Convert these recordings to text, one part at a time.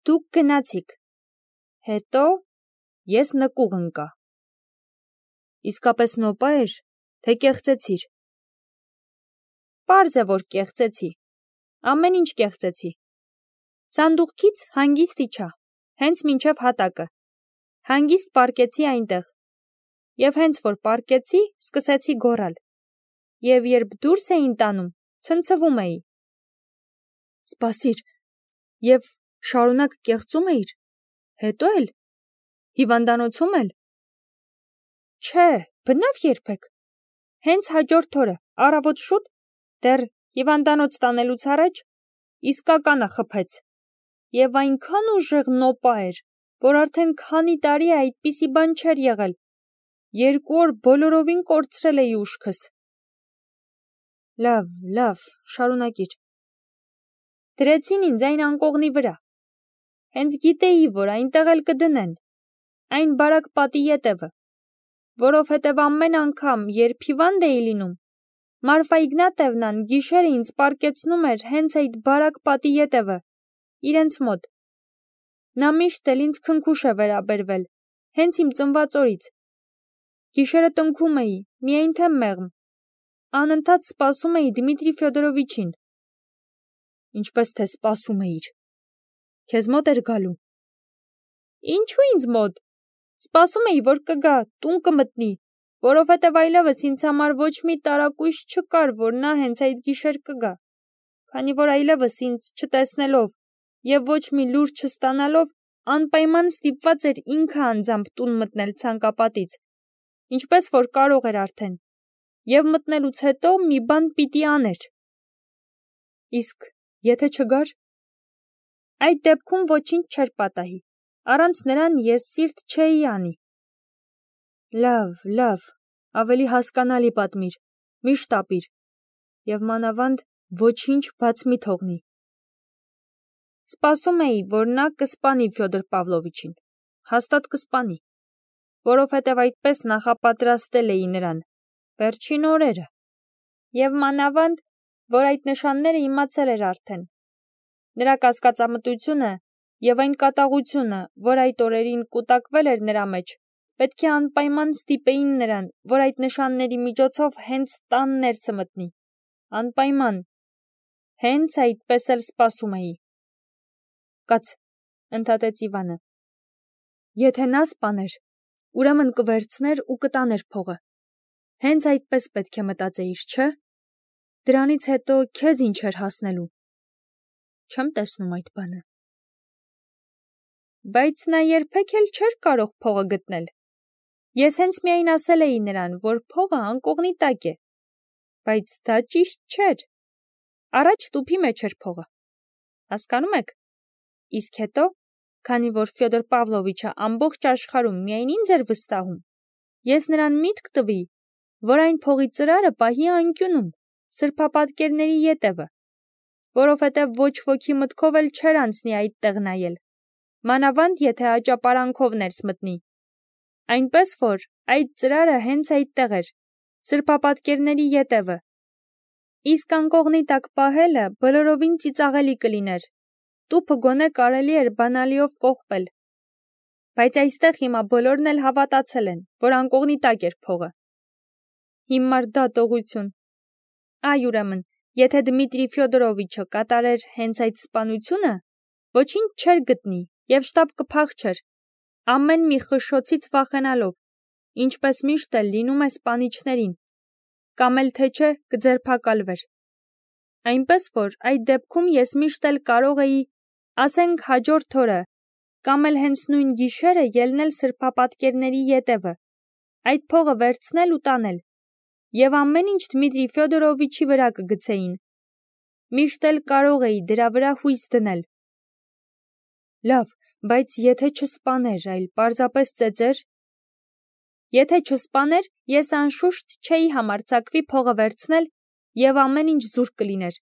Դուք գնացիք։ Հետո ես նկուղ ընկա։ Իսկապես նոպա էր, թե կեղծեցիր։ Պարզ է, որ կեղծեցի։ Ամեն ինչ կեղծեցի։ Սանդուղքից հանգիստ իջա, հենց մինչև հատակը։ Հանգիստ պառկեցի այնտեղ։ Եվ հենց որ պառկեցի, սկսեցի գոռալ։ Եվ երբ դուրս էին տանում, ցնցվում էի։ Սպասիր, և շարունակ կեղծում էիր։ Հետո էլ։ Հիվանդանոցում էլ։ Չէ, բնավ երբեք։ Հենց հաջորդ օրը, առավոտ շուտ, դեռ հիվանդանոց տանելուց առաջ, իսկականը խփեց։ Եվ այնքան ուժեղ նոպա էր, որ արդեն քանի տարի է այդպիսի բան չէր եղել։ 2 օր բոլորովին կորցրել էի ուշքս։ Լավ, շարունակիր։ Դրեցին ինձ այն անկողնի վրա։ Հենց գիտեի, որ այնտեղ էլ կդնեն, այն բարակ պատի ետևը, որովհետև ամեն անգամ, երբ հիվանդ էի լինում, Մարֆա Իգնատևնան գիշերը ինձ պառկեցնում էր հենց այդ բարակ պատի ետևը, իրենց մոտ։ Նա միշտ էլ ինձ քնքուշ է վերաբերվել, հենց իմ ծնված օրից։ Գիշերը տնքում էի, միայն թե մեղմ։ Անընդհատ սպասում էի Դմիտրի Ֆյոդորովիչին։ Ինչպես թե սպասում էիր։ Քեզ մոտ էր գալու։ Ինչու ինձ մոտ։ Սպասում էի, որ կգա, տուն կմտնի, որովհետև այլևս ինձ համար ոչ մի տարակույս չկար, որ նա հենց այդ գիշեր կգա, քանի որ այլևս ինձ չտեսնելով և ոչ մի լուր չստանալով, անպայման ստիպված էր ինքը անձամբ տուն մտնել ցանկապատից, ինչպես որ կարող էր արդեն, և մտնելուց հետո մի բան պիտի աներ։ Իսկ եթե չգար։ Այդ դեպքում ոչինչ չէր պատահի, առանց նրան ես սիրտ չէի անի։ Լավ, ավելի հասկանալի պատմիր, միշտ ապիր, և մանավանդ ոչինչ բաց մի թողնի։ Սպասում էի, որ նա կսպանի Ֆյոդոր Պավլովիչին, հաստատ կսպանի, որովհետև այդպես նախապատրաստել էի նրան, վերջին օրերը, և մանավանդ, որ այդ նշանները իմացել էր արդեն։ Նրա կասկածամտությունը և այն կատաղությունը, որ այդ օրերին կուտակվել էր նրա մեջ, պետք է անպայման ստիպեին նրան, որ այդ նշանների միջոցով հենց տան ներսը մտնի։ Անպայման։ Հենց այդպես էլ սպասում էի։ Կաց, ընդհատեց Իվանը։ Եթե նա սպաներ, ուրեմն կվերցներ ու կտաներ փողը։ Հենց այդպես պետք է մտածեիր, չէ՞։ Դրանից հետո քեզ ինչ էր հասնելու։ Չեմ տեսնում այդ բանը։ Բայց նա երբեք էլ չէր կարող փողը գտնել։ Ես հենց միայն ասել էի նրան, որ փողը անկողնի տակ է, բայց դա ճիշտ չէր։ Առաջ տուփի մեջ էր փողը։ Հասկանում եք։ Իսկ հետո, քանի որ Ֆյոդոր Պավլովիչը ամբողջ աշխարհում միայն ինձ էր վստահում, ես նրան միտք տվի, որ այն փողի ծրարը պահի անկյունում, սրբապատկերների ետևը, որովհետև ոչ ոքի մտքով էլ չէր անցնի այդտեղ նայել, մանավանդ եթե աճապարանքով ներս մտնի։ Այնպես որ այդ ծրարը հենց այդտեղ էր, սրբապատկերների ետևը։ Իսկ անկողնի տակ պահելը բոլորովին ծիծաղելի կլիներ, տուփը գոնե կարելի էր բանալիով կողպել։ Բայց այստեղ հիմա բոլորն էլ հավատացել են, որ անկողնի տակ էր փողը։ Հիմար դատողություն։ Այ ուրեմն, եթե Դմիտրի Ֆյոդորովիչը կատարեր հենց այդ սպանությունը, ոչինչ չէր գտնի և շտապ կփախչեր, ամեն մի խշշոցից վախենալով, ինչպես միշտ էլ լինում է սպանիչներին, կամ էլ թե չէ կձերբակալվեր։ Այնպես որ այդ դեպքում ես միշտ էլ կարող էի, ասենք հաջորդ օրը, կամ էլ հենց նույն գիշերը ելնել սրբապատկերների ետևը, այդ փողը վերցնել ու տանել, և ամեն ինչ Դմիտրի Ֆյոդորովիչի վրա կգցեին։ Միշտ էլ կարող էի դրա վրա հույս դնել։ Լավ, բայց եթե չսպաներ, այլ պարզապես ծեծեր։ Եթե չսպաներ, ես անշուշտ չէի համարձակվի փողը վերցնել և ամեն ինչ զուրկ կլիներ։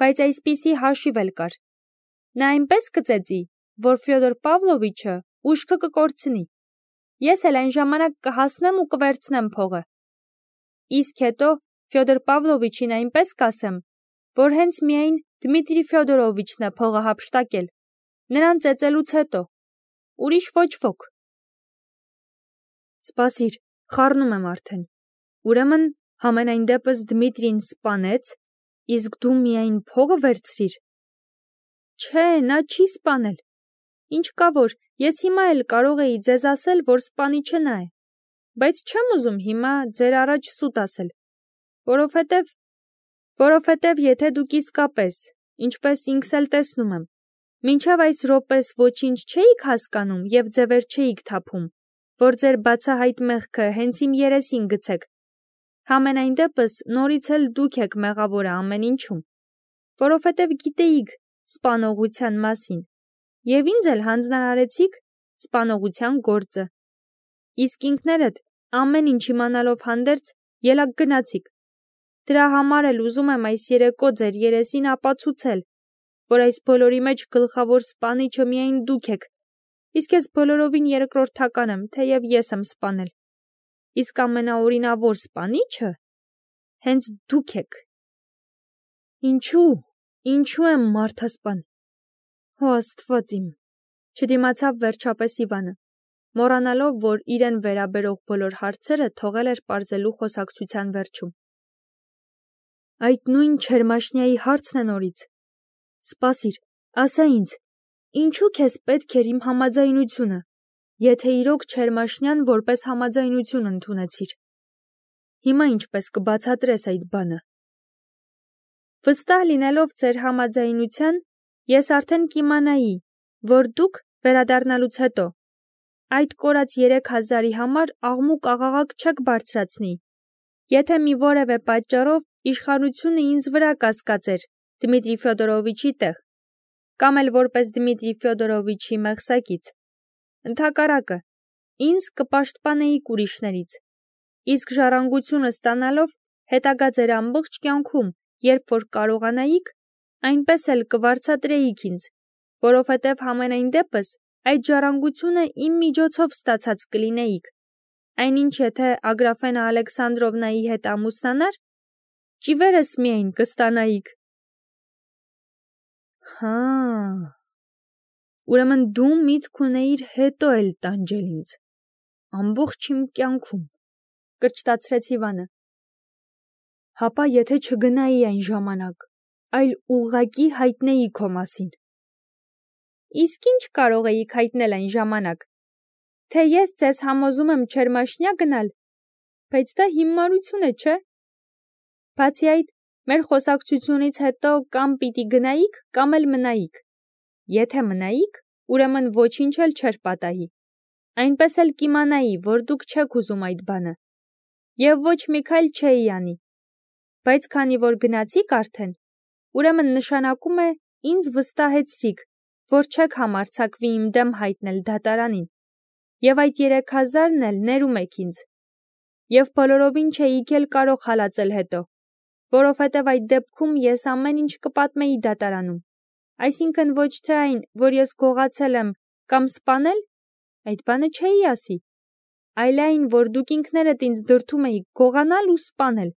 Բայց այսպիսի հաշիվ էլ կար։ Նա այնպես կծեծի, որ Ֆյոդոր Պավլովիչը ուշքը կկորցնի։ Ես էլ այն ժամանակ կհասնեմ ու կվերցնեմ փողը։ Իսկ հետո Ֆյոդոր Պավլովիչին այնպես կասեմ, որ հենց միայն Դմիտրի Ֆյոդորովիչն է փողը հափշտակել, Նրան ծեծելուց հետո, ուրիշ ոչ ոք։ Սպասիր, խառնում եմ արդեն։ Ուրեմն համենայն դեպս Դմիտրին սպանեց, իսկ դու միայն փողը վերցրիր։ Չէ, նա չի սպանել։ Ինչ կա որ, ես հիմա էլ կարող էի ձեզ ասել, որ սպանիչը նա է, բայց չեմ ուզում հիմա ձեր առաջ սուտ ասել, որովհետև եթե դուք իսկապես, ինչպես ինքս էլ տեսնում եմ, մինչև այս րոպես ոչինչ չէիք հասկանում և ձևեր չէիք թափում, որ ձեր բացահայտ մեղքը հենց իմ երեսին գցեք, համենայն դեպս նորից էլ դուք եք մեղավորը ամեն ինչում, որովհետև գիտեիք սպանողության մասին և ինձ էլ հանձնարարեցիք սպանողության գործը, իսկ ինքներդ ամեն ինչ իմանալով հանդերձ ելակ գնացիք, դրա համար էլ ուզում եմ այս երեկո ձեր երեսին ապացուցել, որ այս բոլորի մեջ գլխավոր սպանիչը միայն դուք եք, իսկ ես բոլորովին երկրորդական եմ, թեև ես եմ սպանել, իսկ ամենաօրինավոր սպանիչը հենց դուք եք։ Ինչու եմ մարդասպան։ Հո Աստված իմ, չդիմացավ վերջապես Իվանը, մոռանալով, որ իրեն վերաբերող բոլոր հարցերը թողել էր պարզելու խոսակցության վերջում։ Այդ նույն չերմաշնիայի հարցն է նորից։ Սպասիր, ասա ինձ, ինչու քեզ պետք էր իմ համաձայնությունը, եթե իրոք չերմաշնյան որպես համաձայնություն ընդունեցիր։ Հիմա ինչպես կբացատրես այդ բանը։ Վստահ լինելով ձեր համաձայնության, ես արդեն կիմանայի, որ դուք վերադառնալուց հետո այդ կորած 3000-ի համար աղմուկ-աղաղակ չեք բարձրացնի, եթե մի որևէ պատճառով իշխանությունը ինձ վրա կասկածեր Դմիտրի Ֆյոդորովիչի տեղ, կամ էլ որպես Դմիտրի Ֆյոդորովիչի մեղսակից։ Ընդհակառակը, ինձ կպաշտպանեիք ուրիշներից, իսկ ժառանգությունը ստանալով հետագա ձեր ամբողջ կյանքում, երբ որ կարողանայիք, այնպես էլ կվարձատրեիք ինձ, որովհետև համենայն դեպս այդ ժառանգությունը իմ միջոցով ստացած կլինեիք, այնինչ եթե Ագրաֆենա Ալեքսանդրովնայի հետ ամուսնանար, ճիվերս միայն կստանայիք։ Հա, ուրեմն դու միտք ունեիր հետո էլ տանջել ինձ, ամբողջ իմ կյանքում, կրճտացրեց Իվանը։ Հապա եթե չգնայի այն ժամանակ, այլ ուղղակի հայտնեի քո մասին։ Իսկ ինչ կարող էիք հայտնել այն ժամանակ, թե ես ձեզ համոզում եմ չերմաշնյա գնալ, բայց դա հիմարություն է, չէ։ Բացի այդ, մեր խոսակցությունից հետո կամ պիտի գնայիք, կամ էլ մնայիք։ Եթե մնայիք, ուրեմն ոչինչ էլ չէր պատահի։ Այնպես էլ կիմանայի, որ դուք չեք ուզում այդ բանը։ Եվ ոչ մի քայլ չէի անի։ Բայց քանի որ գնացիք արդեն, ուրեմն նշանակում է ինձ վստահեցրիք, որ չեք համարձակվի իմ դեմ հայտնել դատարանին։ Եվ այդ 3000-ն էլ ներում եք ինձ։ Եվ բոլորովին չէիք էլ կարող հալածել հետո, որովհետև այդ դեպքում ես ամեն ինչ կպատմեի դատարանում, այսինքն ոչ թե այն, որ ես գողացել եմ կամ սպանել, այդ բանը չէի ասի, այլ այն, որ դուք ինքներդ ինձ դրդում էիք գողանալ ու սպանել,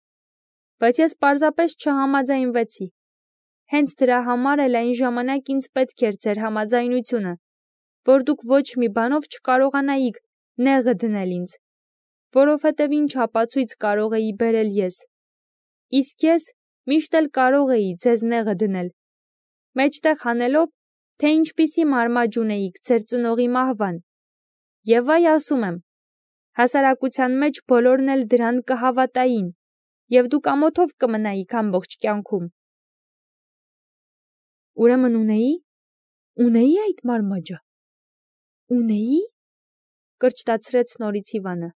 բայց ես պարզապես չհամաձայնվեցի, հենց դրա համար էլ այն ժամանակ ինձ պետք էր ձեր համաձայնությունը, որ դուք ոչ մի բանով չկարողանայիք նեղը դնել ինձ, որովհետև ինչ ապացույց կարող էի բերել ես, իսկ ես միշտ էլ կարող էի ձեզ նեղը դնել, մեջտեղ հանելով, թե ինչպիսի մարմաջ ունեիք ձեր ծնողի մահվան, և այ ասում եմ, հասարակության մեջ բոլորն էլ դրան կհավատային, և դուք ամոթով կմնայիք ամբողջ կյանքում։ Ուրեմն ունեի այդ մարմաջը, ունեի, կրճտացրեց նորից Իվանը։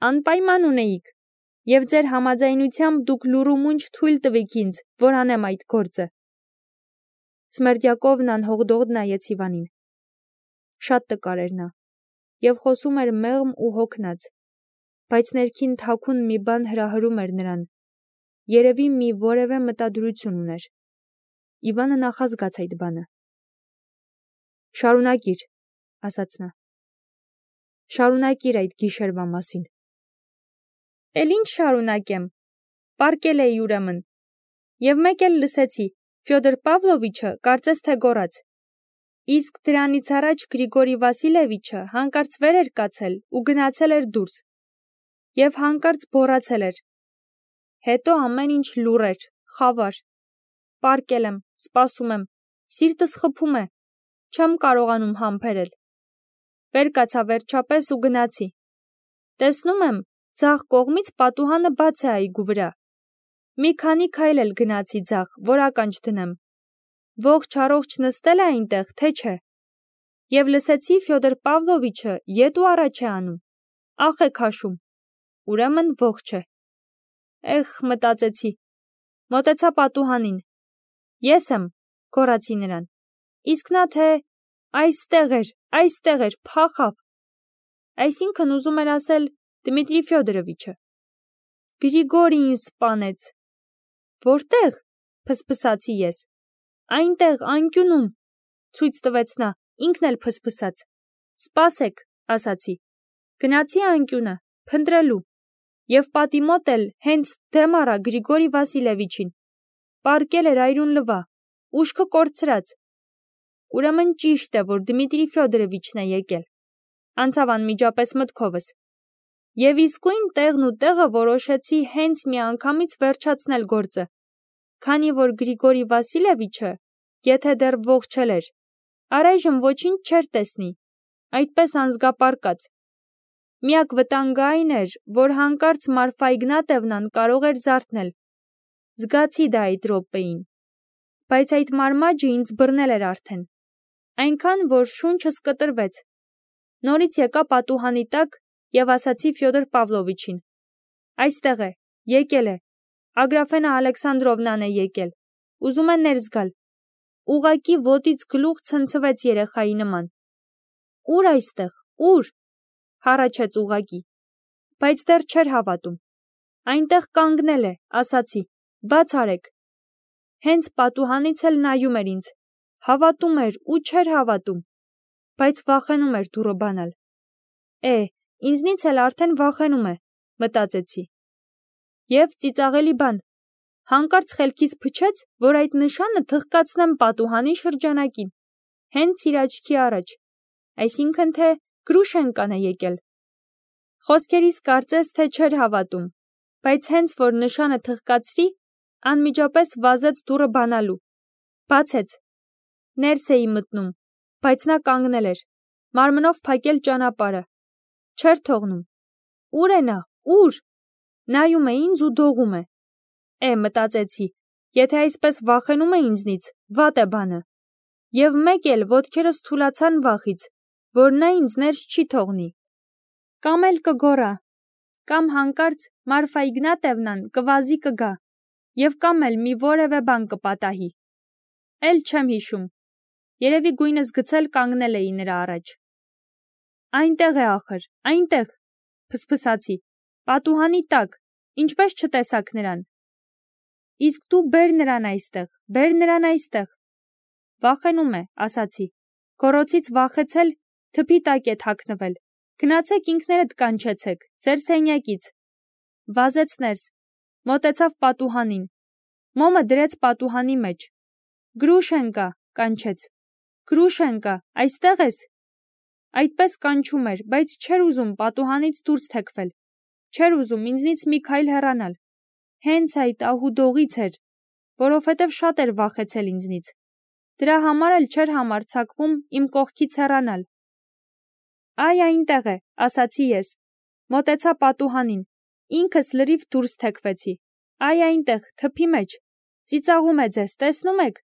Անպայման ունեիք, և ձեր համաձայնությամբ դուք լուրումունջ թույլ տվիք ինձ, որ անեմ այդ գործը։ Սմերդյակովն անհողդողդ նայեց Իվանին։ Շատ տկար էր նա, և խոսում էր մեղմ ու հոգնած, բայց ներքին թաքուն մի բան հրահրում էր նրան, երևի մի որևէ մտադրություն ուներ։ Իվանը նախազգաց այդ բանը։ Շարունակիր, ասաց նա։ Շարունակիր այդ գիշերվա մասին։ Էլ ինչ շարունակեմ, պառկել էի ուրեմն, և մեկ էլ լսեցի, Ֆյոդոր Պավլովիչը կարծես թե գոռաց. Իսկ դրանից առաջ Գրիգորի Վասիլևիչը հանկարծ վեր էր կացել ու գնացել էր դուրս, և հանկարծ բոռացել էր. հետո ամեն ինչ լուռ էր, խավար, պառկել եմ, սպասում եմ, սիրտս խփում է, չեմ կարողանում համբերել, վեր կացա վերջապես ու գնացի, տեսնում եմ, ձախ կողմից պատուհանը բաց է այգու վրա, մի քանի քայլ էլ գնացի ձախ, որ ականջ դնեմ, ողջ-առողջ նստել է այնտեղ, թե չէ, և լսեցի Ֆյոդոր Պավլովիչը ետ ու առաջ է անում, ախ է քաշում, ուրեմն ողջ է։ Էխ, մտածեցի, մոտեցա պատուհանին, ես եմ, գոռացի նրան, իսկ նա թե այստեղ էր, փախավ, այսինքն ուզում էր ասել Դմիտրի Ֆյոդորովիչը։ Գրիգորին սպանեց։ Որտե՞ղ, փսփսացի ես։ Այնտեղ, անկյունում, ցույց տվեց նա, ինքն էլ փսփսաց։ Սպասեք, ասացի։ Գնացի անկյունը, փնտրելու, և պատի մոտ էլ հենց դեմ առա Գրիգորի Վասիլևիչին։ Պառկել էր այրուն լվա, ուշքը կորցրած։ Ուրեմն ճիշտ է, որ Դմիտրի Ֆյոդորովիչն է եկել։ Անցավ անմիջապես մտքովս։ Եվ իսկույն տեղն ու տեղը որոշեցի հենց միանգամից վերջացնել գործը, քանի որ Գրիգորի Վասիլևիչը, եթե դեռ ողջել էր, առայժմ ոչինչ չէր տեսնի, այդպես անզգապարկած։ Միակ վտանգը այն էր, որ հանկարծ Մարֆա Իգնատևնան կարող էր զարթնել։ Զգացի դա այդ րոպեին։ Բայց այդ մարմաճը ինձ բռնել էր արդեն։ Այնքան, որ շունչս կտրվեց։ Նորից եկա պատուհանի տակ և ասացի Ֆյոդոր Պավլովիչին. այստեղ է, եկել է, Ագրաֆենա Ալեքսանդրովնան է եկել, ուզում է ներս գալ, ուղղակի ոտից գլուխ ցնցվեց երեխայի նման։ Ուր այստեղ, ուր, հառաչեց ուղղակի, բայց դեռ չէր հավատում։ Այնտեղ կանգնել է, ասացի, բաց արեք։ Հենց պատուհանից էլ նայում էր ինձ, հավատում էր ու չէր հավատում, բայց վախենում էր դուռը բանալ։ Ինձնից էլ արդեն վախենում է, մտածեցի։ Եվ ծիծաղելի բան, հանկարծ խելքիս փչեց, որ այդ նշանը թխկացնեմ պատուհանի շրջանակին, հենց իր աչքի առաջ, այսինքն թե Գրուշենկան է եկել։ Խոսքերիս կարծես թե չէր հավատում, բայց հենց որ նշանը թխկացրի, անմիջապես վազեց դուռը բանալու։ Բացեց։ Ներս էի մտնում, բայց նա կանգնել էր, մարմնով փակել ճանապարհը։ Չէր թողնում։ Ուր է նա, ուր։ Նայում է ինձ ու դողում է։ Մտածեցի, եթե այսպես վախենում է ինձնից, վատ է բանը։ Եվ մեկ էլ ոտքերս թուլացան վախից, որ նա ինձ ներս չի թողնի։ Կամ էլ կգոռա, կամ հանկարծ Մարֆա Իգնատևնան կվազի կգա, և կամ էլ մի որևէ բան կպատահի։ Էլ չեմ հիշում։ Երևի գույնս գցել կանգնել էի նրա առաջ։ Այնտեղ է ախր, այնտեղ, փսփսացի, պատուհանի տակ, ինչպես չտեսաք նրան։ Իսկ դու բեր նրան այստեղ, բեր նրան այստեղ։ Վախենում է, ասացի, գոռոցից վախեցել, թփի տակ է թաքնվել, գնացեք ինքներդ կանչեցեք, ձեր սենյակից։ Վազեց ներս, մոտեցավ պատուհանին, մոմը դրեց պատուհանի մեջ։ Գրուշենկա, կանչեց, Գրուշենկա, այստեղ ես։ Այդպես կանչում էր, բայց չէր ուզում պատուհանից դուրս թեքվել, չէր ուզում ինձնից մի քայլ հեռանալ։ Հենց այդ ահուդողից էր, որովհետև շատ էր վախեցել ինձնից։ Դրա համար էլ չէր համարձակվում իմ կողքից հեռանալ։ Այնտեղ է, ասացի ես, մոտեցա պատուհանին, ինքս լրիվ դուրս թեքվեցի։ Այնտեղ, թփի մեջ, ծիծաղում է ձեզ, տեսնում եք։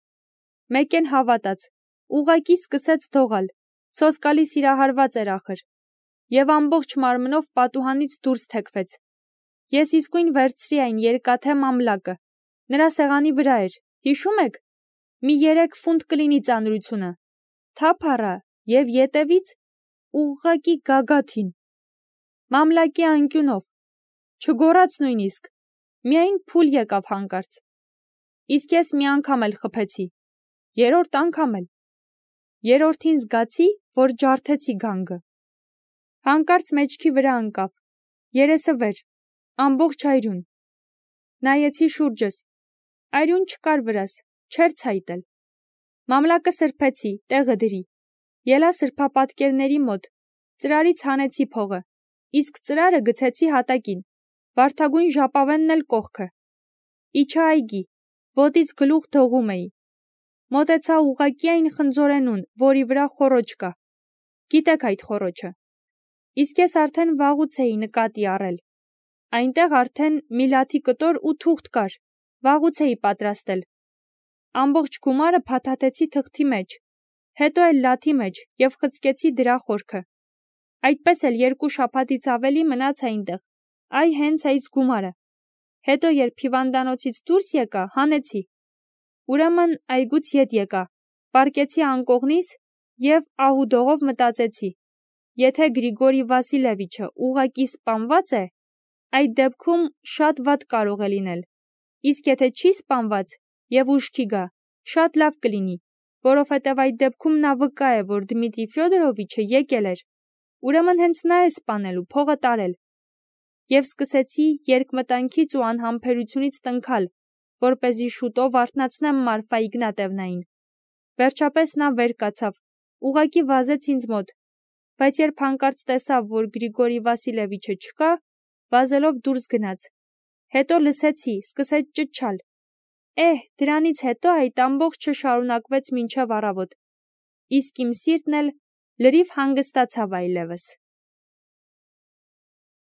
Մեկեն հավատաց, ուղղակի սկսեց դողալ, սոսկալի սիրահարված էր ախր, և ամբողջ մարմնով պատուհանից դուրս թեքվեց։ Ես իսկույն վերցրի այն երկաթե մամլակը, նրա սեղանի վրա էր, հիշում եք, մի 3 ֆունտ կլինի ծանրությունը, թափ առա և ետևից ուղղակի գագաթին, մամլակի անկյունով, չգոռաց նույնիսկ, միայն փուլ եկավ հանկարծ։ Իսկ ես մի անգամ էլ խփեցի, 3-րդ անգամ էլ։ 3-րդին զգացի, որ ջարդեցի գանգը։ Հանկարծ մեջքի վրա ընկավ, երեսը վեր, ամբողջ այրուն։ Նայեցի շուրջս, այրուն չկար վրաս, չէր ցայտել։ Մամլակը սրբեցի, տեղը դրի, ելա սրբապատկերների մոտ, ծրարից հանեցի փողը, իսկ ծրարը գցեցի հատակին, վարդագույն ժապավենն էլ կողքը։ Իջա այգի, ոտից գլուխ դողում էի։ Մոտեցա ուղղակի այն խնձորենուն, որի վրա խոռոչ կա։ Գիտեք այդ խոռոչը։ Իսկ ես արդեն վաղուց էի նկատի առել։ Այնտեղ արդեն մի լաթի կտոր ու թուղթ կար, վաղուց էի պատրաստել։ Ամբողջ գումարը փաթաթեցի թղթի մեջ, հետո էլ լաթի մեջ և խցկեցի դրա խորքը։ Այդպես էլ 2 շաբաթից ավելի մնաց այնտեղ, այ հենց այս գումարը։ Հետո երբ հիվանդանոցից դուրս եկա, հանեցի։ Ուրեմն այգուց ետ եկա, պառկեցի անկողնիս և ահուդողով մտածեցի. եթե Գրիգորի Վասիլևիչը ուղղակի սպանված է, այդ դեպքում շատ վատ կարող է լինել, իսկ եթե չի սպանված և ուշքի գա, շատ լավ կլինի, որովհետև այդ դեպքում նա վկա է, որ Դմիտրի Ֆյոդորովիչը եկել էր, ուրեմն հենց նա է սպանելու, փողը տարել։ Եվ սկսեցի երկմտանքից ու անհամբերությունից տնքալ, որպեսզի շուտով արթնացնեմ Մարֆա Իգնատևնային։ Վերջապես նա վեր կացավ, ուղղակի վազեց ինձ մոտ, բայց երբ հանկարծ տեսավ, որ Գրիգորի Վասիլևիչը չկա, վազելով դուրս գնաց։ Հետո լսեցի, սկսեց ճչալ։ Դրանից հետո այդ ամբողջը շարունակվեց մինչև առավոտ, իսկ իմ սիրտն էլ լրիվ հանգստացավ այլևս։